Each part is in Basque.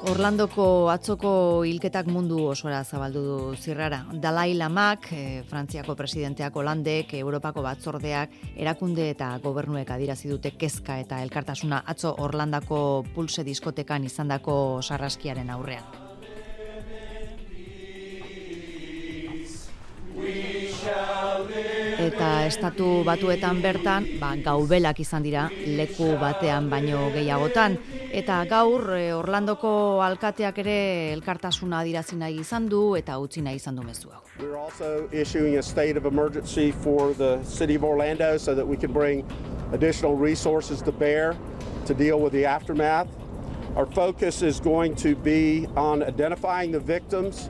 Orlandoko atzoko hilketak mundu osora zabaldu du zirrara. Dalai Lamak, Frantziako presidenteak, Holandek, Europako batzordeak, erakunde eta gobernuek adierazi dute kezka eta elkartasuna atzo Orlandako Pulse diskotekan izandako sarraskiaren aurrean. Eta estatu batuetan bertan, gaubelak izan dira leku batean baino gehiagotan. Eta gaur Orlandoko alkateak ere elkartasuna adierazi nahi izan du eta utzi nahi izan du mezu hau. We're also issuing a state of emergency for the city of Orlando so that we can bring additional resources to bear to deal with the aftermath. Our focus is going to be on identifying the victims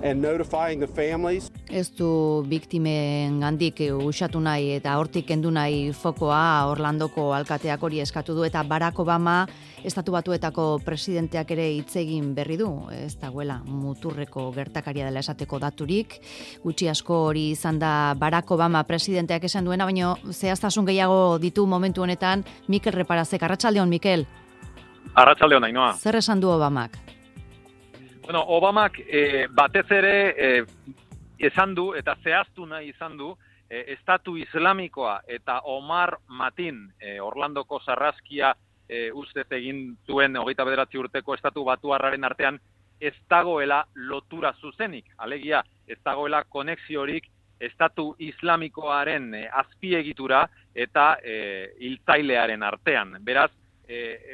and notifying the families. Ez du biktimen gandik usatu nahi eta hortik kendu nahi fokoa. Orlandoko alkateak hori eskatu du eta Barack Obama estatu batuetako presidenteak ere hitz egin berri du. Ez dagoela muturreko gertakaria dela esateko daturik. Gutxi asko hori izan da Barack Obama presidenteak esan duena, baina zehaztasun gehiago ditu momentu honetan Mikel Reparazek. Arratsaldeon, Mikel. Arratsaldeon, Ainhoa. Zer esan du Obamak? Bueno, Obamak batez ere esan du eta zehaztu nahi izan du Estatu Islamikoa eta Omar Matin Orlandoko sarraskia ustez egin zuen 29 urteko estatu batuarraren artean ez dagoela lotura zuzenik. Alegia, ez dagoela konexiorik Estatu Islamikoaren azpiegitura eta hiltzailearen artean. Beraz,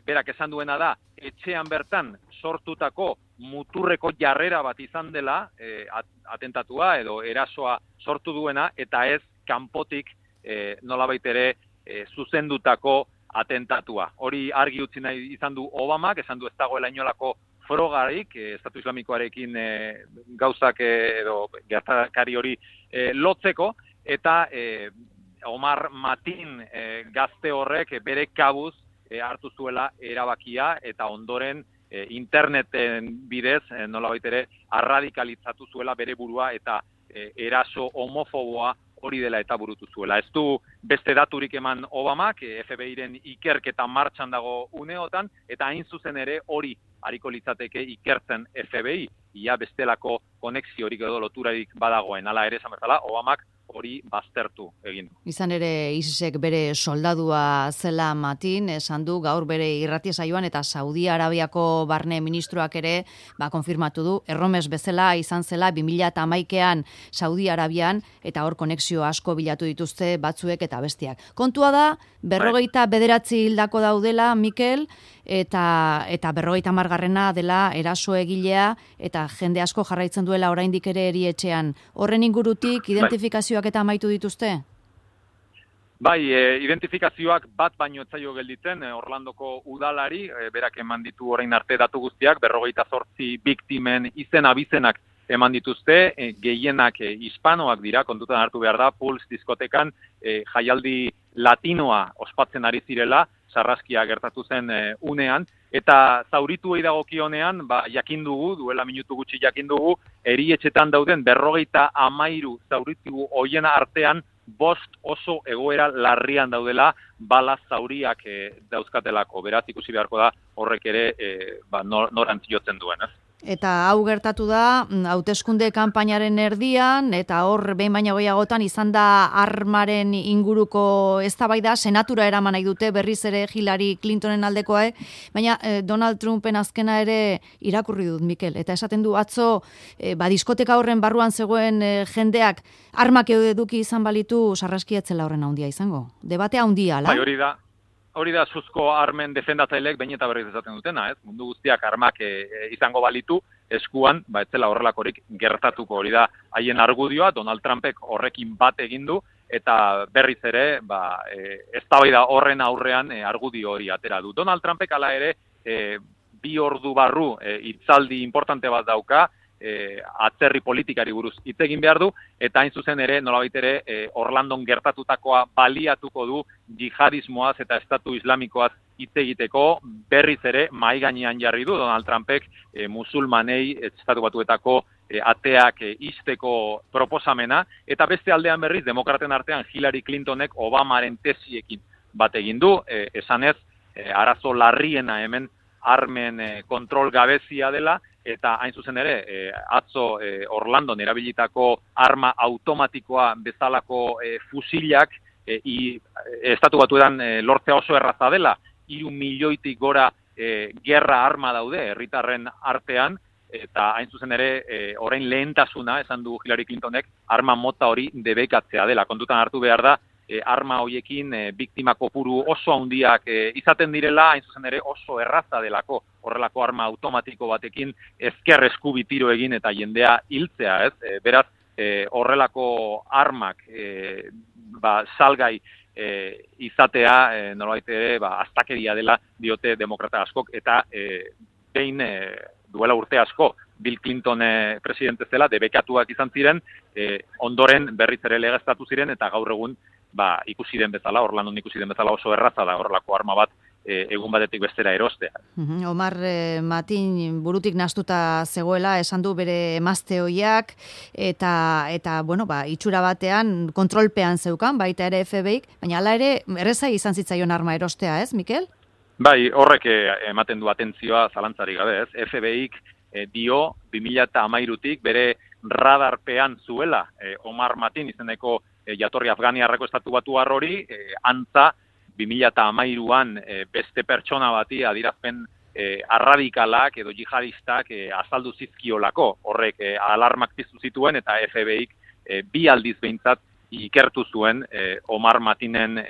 berak esan duena da, etxean bertan sortutako muturreko jarrera bat izan dela atentatua edo erasoa sortu duena eta ez kanpotik nolabait ere zuzendutako atentatua. Hori argi utzi nahi izan du Obamak, esan du ez dagoela inolako frogarik Estatu Islamikoarekin gauzak edo gertakari hori lotzeko eta Omar Matin gazte horrek bere kabuz hartu zuela erabakia eta ondoren interneten bidez nolabait ere arradikalizatu zuela bere burua eta eraso homofoboa hori dela eta burutu zuela. Ez du beste daturik eman Obamak, FBI-ren ikerketa martxan dago uneotan, eta hain zuzen ere hori hariko litzateke ikertzen FBI, ia bestelako konexiorik edo loturarik badagoen. Hala ere, esan bezala, Obamak hori baztertu egin du. Izan ere, ISISek bere soldadua zela Matin, esan du gaur bere irratia saioan eta Saudi Arabiako barne ministroak ere konfirmatu du, erromes bezala izan zela 2011an Saudi Arabian eta hor konexio asko bilatu dituzte batzuek eta bestiak. Kontua da, 59 hildako daudela, Mikel, eta 50garrena dela eraso egilea eta jende asko jarraitzen duela oraindik ere erietxean. Horren ingurutik identifikazioak eta amaitu dituzte? Bai, identifikazioak bat baino etzaio gelditzen Orlandoko udalari, berak eman ditu orain arte datu guztiak, 58 biktimen izen abizenak eman dituzte, gehienak hispanoak dira, kontutan hartu behar da, Pulse diskotekan jaialdi latinoa ospatzen ari zirela, sarraskia gertatu zen unean, eta zaurituei dagokionean, jakin dugu, duela minutu gutxi jakin dugu, erietxetan dauden 53 zauritu hoien artean 5 oso egoera larrian daudela bala zauriak dauzkatelako. Beraz, ikusi beharko da horrek ere norantz jotzen duen, ez? Eta hau gertatu da, hauteskunde kanpainaren erdian, eta hor behin baino gehiagotan izan da armaren inguruko eztabaida, senatura eraman nahi dute berriz ere Hillary Clintonen aldekoa, baina Donald Trumpen azkena ere irakurri dut, Mikel, eta esaten du atzo, diskoteka horren barruan zegoen jendeak armak eduki izan balitu sarraskiatzela horren handia izango. Debatea handia, ala? Bai, hori da suzko armen defendatzaileek behin eta berriz esaten dutena, ez? Mundu guztiak armak izango balitu eskuan, ez zela horrelakorik gertatuko. Hori da haien argudioa, Donald Trumpek horrekin bat egin du, eta berriz ere, eztabaida horren aurrean argudio hori atera du. Donald Trumpek hala ere 2 ordu barru hitzaldi importante bat dauka, atzerri politikari buruz hitz egin behar du, eta hain zuzen ere, nolabait ere, Orlandon gertatutakoa baliatuko du jihadismoaz eta Estatu Islamikoaz hitz egiteko, berriz ere mahai gainean jarri du Donald Trumpek musulmanei Estatu Batuetako ateak ixteko proposamena, eta beste aldean berriz, demokraten artean Hillary Clintonek Obamaren tesiekin bat egin du, esanez, arazo larriena hemen armen kontrol gabezia dela, eta hain zuzen ere, atzo Orlandon erabilitako arma automatikoa bezalako fusilak Estatu Batuetan lortzea oso erraza dela, 3 milioitik gora gerra arma daude herritarren artean, eta hain zuzen ere orain lehentasuna, esan du Hillary Clintonek, arma mota hori debekatzea dela. Kontutan hartu behar da, arma hoiekin biktima kopuru oso handiak izaten direla, hain zuzen ere oso erraza delako horrelako arma automatiko batekin ezker eskubi tiro egin eta jendea hiltzea, ez? Beraz, horrelako armak salgai izatea nolabait ere astakeria dela diote demokrata askok, eta behin duela urte asko Bill Clinton presidente zela debekatuak izan ziren, ondoren berriz ere legeztatu ziren, eta gaur egun ikusi den bezala, Orlandon ikusi den bezala oso erraza da horrelako arma bat egun batetik bestera erostea. Omar Matin burutik nahastuta zegoela, esan du bere emazte hoiak, eta bueno, itxura batean kontrolpean zeukan, baita ere FBI, baina hala ere erreza izan zitzaion arma erostea, ez, Mikel? Bai, horrek ematen du atentzioa zalantzarik gabe, ez? FBI-k dio 2013tik bere radarpean zuela Omar Matin izeneko jatorri afganiarreko estatu batuar hori, antza 2013an beste pertsona bati adierazpen arradikalak edo jihadistak azaldu zizkiolako. Horrek alarmak piztu zituen, eta FBI-k 2 aldiz behintzat ikertu zuen Omar Matinen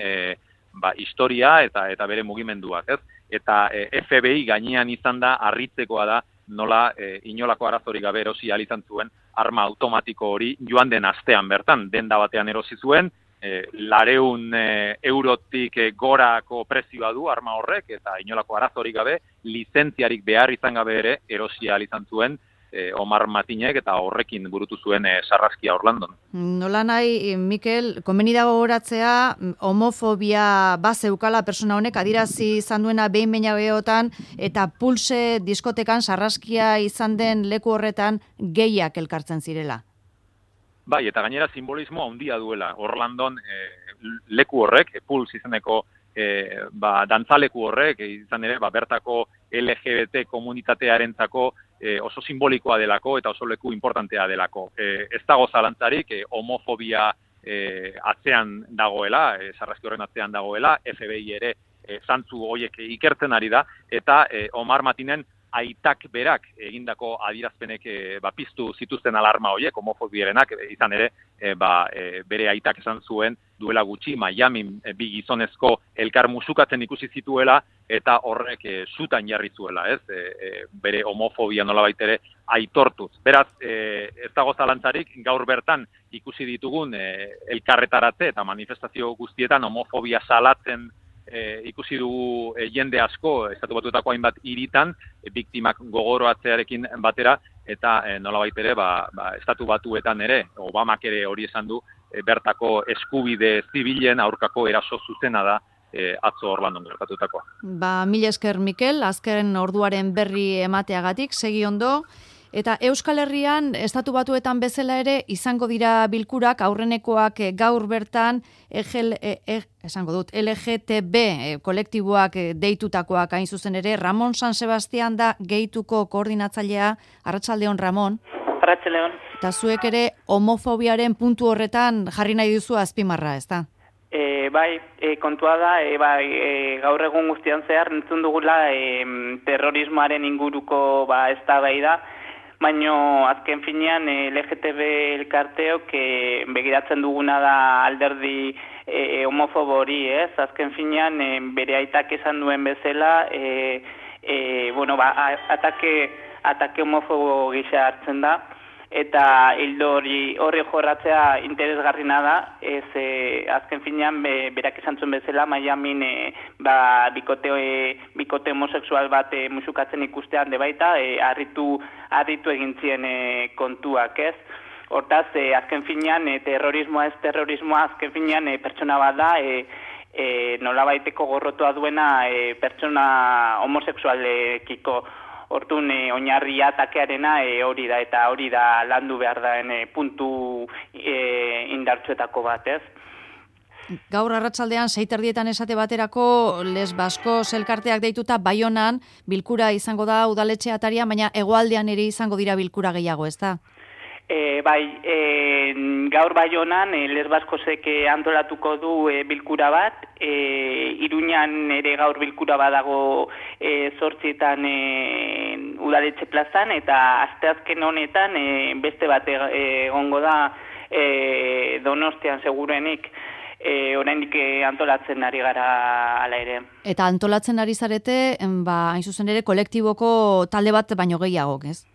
historia eta bere mugimenduak, ez? Eta FBI gainean izan da, harritzekoa da, nola inolako arazorik gabe erosi ahal izan zuen arma automatiko hori joan den astean bertan, denda batean erosi zuen, 200 eurotik gorako prezioa du arma horrek, eta inolako arazorik gabe, lizentziarik behar izan gabe ere erosi ahal izan zuen Omar Matinek, eta horrekin burutu zuen sarraskia Orlandon. Nola nahi, Mikel, komeni dago goratzea, homofobia bazeukala persona honek, adirazi izan duena behin gehotan, eta Pulse diskotekan sarraskia izan den leku horretan gehiak elkartzen zirela. Bai, eta gainera simbolismo handia duela. Orlandon leku horrek, Pulse izeneko dantzaleku horrek, izan ere, bertako LGBT komunitatearentzako oso simbolikoa delako eta oso leku importantea delako. Ez dago zalantzarik, homofobia atzean dagoela, sarraski horren atzean dagoela, FBI ere zantzu horiek ikertzen ari da, eta Omar Matinen aitak berak egindako adierazpenek piztu zituzten alarma horiek, homofobierenak, izan ere, bere aitak esan zuen duela gutxi, Miami 2 gizonezko elkar musukatzen ikusi zituela, eta horrek zutan jarri zuela, ez? Bere homofobia nolabait ere aitortuz. Beraz, ez dago zalantzarik, gaur bertan ikusi ditugun elkarretaratze eta manifestazio guztietan homofobia salatzen ikusi dugu jende asko, Estatu Batuetako hainbat hiritan, biktimak gogoroatzearekin batera, eta nolabait ere, Estatu Batuetan ere, Obamak ere hori esan du, bertako eskubide zibilen aurkako eraso zuzena da atzo Orlandon gertatutakoa. Mila esker, Mikel, azken orduaren berri emateagatik, segi ondo. Eta Euskal Herrian, Estatu Batuetan bezala ere, izango dira bilkurak, aurrenekoak gaur bertan, LGTB kolektiboak deitutakoak hain zuzen ere. Ramon San Sebastian da gehituko koordinatzailea. Arratsaldeon, Ramon. Arratsaldeon. Eta zuek ere homofobiaren puntu horretan jarri nahi duzu azpimarra, ez da? Kontua da, gaur egun guztian zehar entzun dugula terrorismoaren inguruko eztabaida, baina azken finean LGTB elkarteok begiratzen duguna da alderdi homofobo hori, ez? Azken finean bere aitak esan duen bezala, atake homofobo gisa hartzen da, eta hildo horri jorratzea interesgarrina da, azken finean berak esan zuen bezala, Miamin bikote homosexual bat musukatzen ikustean de baita, harritu egin zien kontuak, ez? Hortaz, azken finean terrorismoa ez terrorismoa, azken finean pertsona bat da, nolabaiteko gorrotua duena pertsona homosexualekiko. Hortun oinarria atakearena hori da, eta hori da landu behar daen puntu indartsuetako bat, ez? gaur arratsaldean 6:30 esate baterako Les Baskos elkarteak deituta Baionan bilkura izango da udaletxe ataria, baina hegoaldean ere izango dira bilkura gehiago, ezta? Gaur Baionan Les Baskosek antolatuko du bilkura bat, Iruñan ere gaur bilkura badago 8:00 udaletxe plazan, eta asteazken honetan beste bat egongo da Donostian seguruenik, oraindik antolatzen ari gara hala ere. Eta antolatzen ari zarete, hain zuzen ere kolektiboko talde bat baino gehiagok, ez?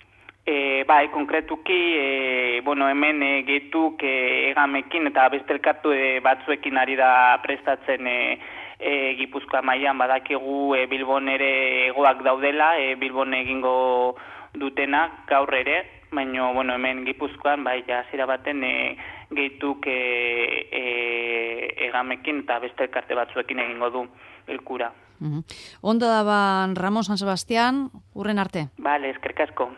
Konkretuki, hemen gehituk Egamekin eta beste elkartu batzuekin ari da prestatzen Gipuzkoa mailan, badakigu Bilbon ere hegoak daudela, Bilbon egingo dutenak gaur ere, baina hemen Gipuzkoan hasiera baten gehituk Egamekin eta beste elkarte batzuekin egingo du bilkura. Ondo da Ramon San Sebastián, hurren arte. Bale, eskerrik asko.